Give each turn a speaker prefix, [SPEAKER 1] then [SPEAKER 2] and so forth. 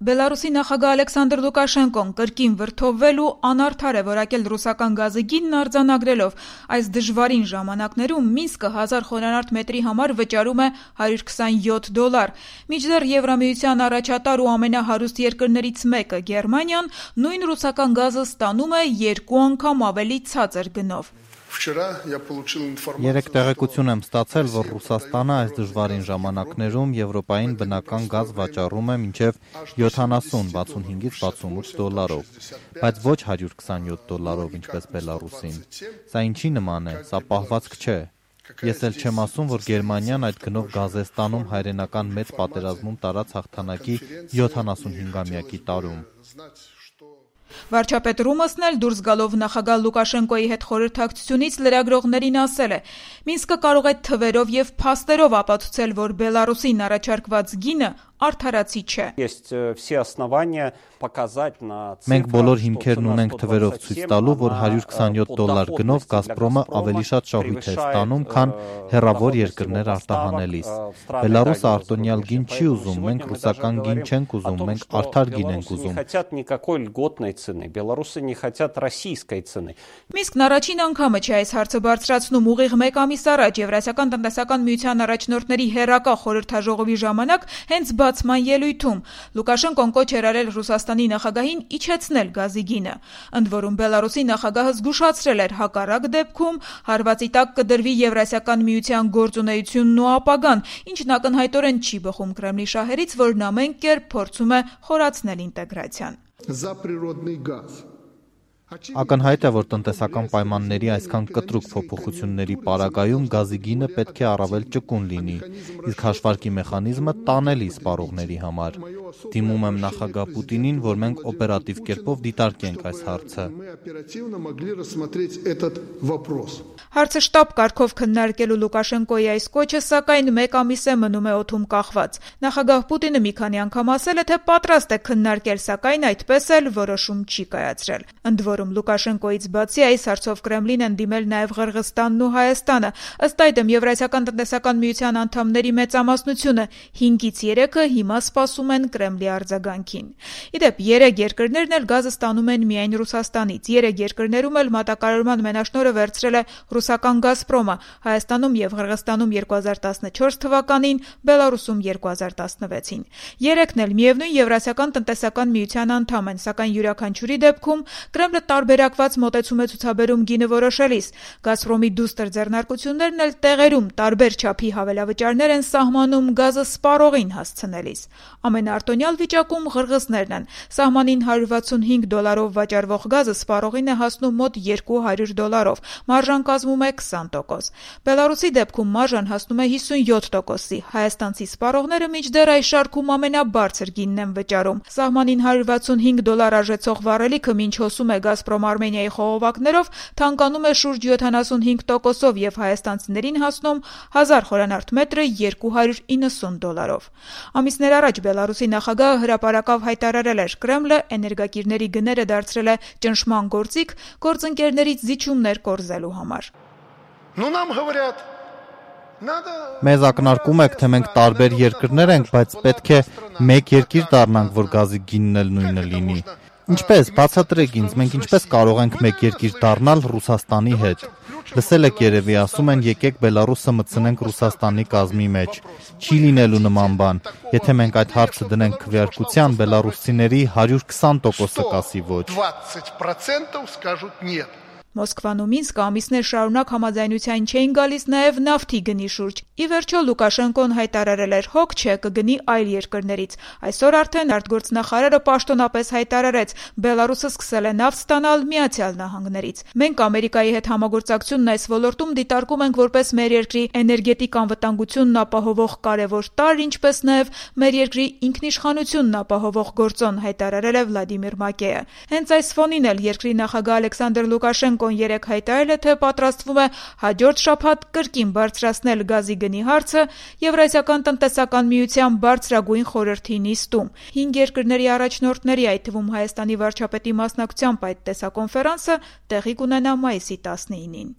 [SPEAKER 1] Բելարուսի նախագահ Ալեքսանդր Լուկաշենկոն կրկին վրդովվել ու անարդար է որակել ռուսական գազի գինն արձանագրելով այս դժվարին ժամանակներում Մինսկը 1000 խորանարդ մետրի համար վճարում է $127։ Մինչդեռ Եվրամիության առաջատար ու ամենահարուստ երկրներից մեկը Գերմանիան նույն ռուսական գազը ստանում է 2 անգամ ավելի ցածր գնով։
[SPEAKER 2] Երեք տեղեկություն եմ ստացել, որ Ռուսաստանը այս դժվարին ժամանակներում Եվրոպային բնական գազ վաճառում է մինչև $70-65-68, բայց ոչ $127, ինչպես Բելարուսին։ Սա ինչի նման է, սա պահվածք չէ։ Ես էլ չեմ ասում, որ Գերմանիան այդ գնով գազ է ստանում հայրենական մեծ պատերազմում տարած հաղթանակի 75-ամյակի տարում։
[SPEAKER 1] Վարչապետ Ռումասն էլ դուրս գալով նախագահ Լուկաշենկոյի հետ խորհրդակցությունից լրագրողներին ասել է. Մինսկը կարող է թվերով եւ փաստերով ապացուցել, որ Բելարուսին առաջարկված գինը արդարացի չէ։
[SPEAKER 2] Մենք բոլոր հիմքերն ունենք թվերով ցույց տալու, որ $127 գնով Գազպրոմը ավելի շատ շահույթ է ստանում, քան հեռավոր երկրներ արտահանելիս։ Բելարուսը արտոնյալ գին չի ուզում, մենք ռուսական գին չենք ուզում, մենք արդար գին ենք ուզում։
[SPEAKER 1] Մինսկն առաջին անգամը չէ այս հարցը բարձրացնում ուղիղ մեկ ամիս առաջ Եվրասիական տնտեսական միության առաջնորդների հերակա խորհրդաժողովի ժամանակ հենց բացման ելույթում Լուկաշենկոն կոչ էր արել Ռուսաստանի նախագահին իջեցնել գազի գինը։ Ընդ որում Բելարուսի նախագահը զգուշացրել էր հակառակ դեպքում հարվածի տակ կդրվի Եվրասիական միության գործունեությունն ու ապագան, ինչն ակնհայտորեն չի բխում Կրեմլի շահերից, որն ամեն կերպ փորձում է խորացնել ինտեգրացիան։
[SPEAKER 2] Ակնհայտ է, որ տնտեսական պայմանների այսքան կտրուկ փոփոխությունների պարագայում գազի գինը պետք է առավել ճկուն լինի, իսկ հաշվարկի մեխանիզմը տանելի սպառողների համար։ Դիմում եմ նախագահ Պուտինին, որ մենք օպերատիվ կերպով դիտարկենք այս հարցը։
[SPEAKER 1] Հարցը շտապ կարգով քննարկելու Լուկաշենկոյի այս կոչը, սակայն մեկ ամիս է մնում է օդում կախված։ Նախագահ Պուտինը մի քանի անգամ ասել է, թե պատրաստ է քննարկել, սակայն այդպես էլ որոշում չի կայացրել։ Ընդ որում Լուկաշենկոյից բացի այս հարցով Կրեմլին են դիմել նաև Ղրղըզստանն ու Հայաստանը։ Ըստ այդմ Եվրասիական տնտեսական միության անդամների մեծամասնությունը 5-ից 3-ը հիմա սպասում են Կրեմլի արձագանքին։ Իդեպ 3 երկրներն էլ գազը ստանում են միայն Ռուսաստանից։ 3 երկրներում էլ մատակարարման մենաշնորհը վերցրել է ռուսական Գազպրոմը, Հայաստանում եւ Ղրղըզստանում 2014 թվականին, Բելարուսում 2016-ին։ 3-ն էլ միևնույն Եվրասիական տնտեսական միության անդամ են, սակայն յուրաքանչյուրի դեպքում Կրեմլը տարբերակված մոտեցում է ցուցաբերում գինը որոշելիս։ Գազպրոմի դուստր ձեռնարկություններն էլ տեղերում տարբեր չափի հավելավճարներ են սահմանում գազը սպառողին հասցնելիս։ Ամենաարտոնյալ վիճակում ղրղըզներն են։ Սահմանին $165 վաճառվող գազը սպառողին է հասնում մոտ $200, մարժան կազմում է 20%։ Բելարուսի դեպքում մարժան հասնում է 57%-ի։ Հայաստանցի սպառողները մինչդեռ այս շարքում ամենաբարձր գինն են վճարում։ Սահմանին $165 արժեցող վառելիքը մինչ հոսում է Գազպրոմ Արմենիայի խողովակներով, թանկանում է շուրջ 75%-ով եւ հայաստանցիներին հասնում 1000 խորանարդ մետրը $290։ Ամիսներ առաջ Բելարուսի նախագահը հրապարակավ հայտարարել էր. Կրեմլը էներգակիրների գները դարձրել է ճնշման գործիք գործընկերներից զիջումներ կորզելու համար։
[SPEAKER 2] Մեզ ակնարկում եք, թե մենք տարբեր երկրներ ենք, բայց պետք է մեկ երկիր դառնանք, որ գազի գինն էլ նույնը լինի։ Ինչպես, բացատրեք ինձ, մենք ինչպես կարող ենք մեկ երկիր դառնալ Ռուսաստանի հետ։ Լսել եք երևի, ասում են եկեք Բելարուսը մտցնենք Ռուսաստանի կազմի մեջ։ Չի լինելու նման բան։ Եթե մենք այդ հարցը դնենք քվեարկության, բելարուսցիների 120%-ը կասի ոչ։
[SPEAKER 1] Մոսկվան ու Մինսկը ամիսներ շարունակ համաձայնության չէին գալիս նաև նավթի գնի շուրջ։ Ի վերջո Լուկաշենկոն հայտարարել էր հոգ չէ կգնի այլ երկրներից։ Այսօր արդեն արտգործնախարարը պաշտոնապես հայտարարեց Բելարուսը սկսել է նավթ ստանալ Միացյալ Նահանգներից։ Մենք Ամերիկայի հետ համագործակցությունն այս ոլորտում դիտարկում ենք որպես մեր երկրի էներգետիկ անվտանգությունն ապահովող կարևոր տարր, ինչպես նաև մեր երկրի ինքնիշխանությունն ապահովող գործոն, հայտարարել է Վլադիմիր Մակեյը։ Հենց այս ֆոնին էլ երկրի նախագահ Ալեքսանդր Լուկաշենկոն երեկ հայտարարել է, թե պատրաստվում է հաջորդ շաբաթ կրկին բարձրացնել գազի գնի հարցը Եվրասիական տնտեսական միության բարձրագույն խորհրդի նիստում։ 5 երկրների առաջնորդների, այդ թվում Հայաստանի վարչապետի մասնակցությամբ այդ տեսակոնֆերանսը տեղի կունենա մայիսի 19-ին։